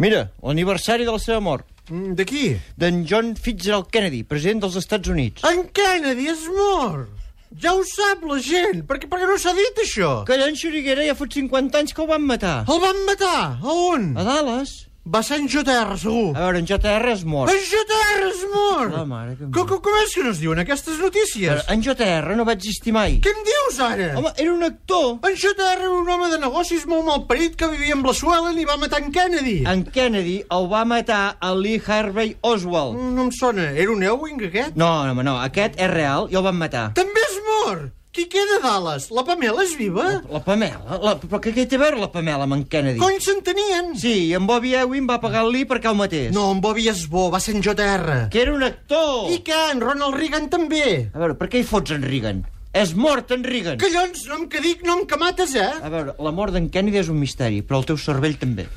Mira, l'aniversari de la seva mort. De qui? D'en John Fitzgerald Kennedy, president dels Estats Units. En Kennedy és mort. Ja ho sap la gent. Per què no s'ha dit, això? Que en Xuriguera ja fot 50 anys que el van matar. El van matar? A on? A Dallas. Va ser en JR, segur. A veure, en JR és mort. En JR és mort! La mare que em Com és que no es diuen aquestes notícies? En JR no va existir mai. Què em dius, ara? Home, era un actor. En JR era un home de negocis molt malparit que vivia amb la Suelen i va matar en Kennedy. En Kennedy el va matar a Lee Harvey Oswald. No em sona. Era un Ewing, aquest? No, home, no. Aquest és real i el van matar. També és mort! Qui queda a Dallas? La Pamela és viva? La Pamela? Però què té a veure la Pamela amb en Kennedy? Cony s'entenien? Sí, i en Bobby Ewing va pagar el Lee perquè el matés. No, en Bobby és bo, va ser en JR. Que era un actor. I què? En Ronald Reagan també. A veure, per què hi fots en Reagan? És mort en Reagan. Collons, nom que dic, nom que mates, eh? A veure, la mort d'en Kennedy és un misteri, però el teu cervell també.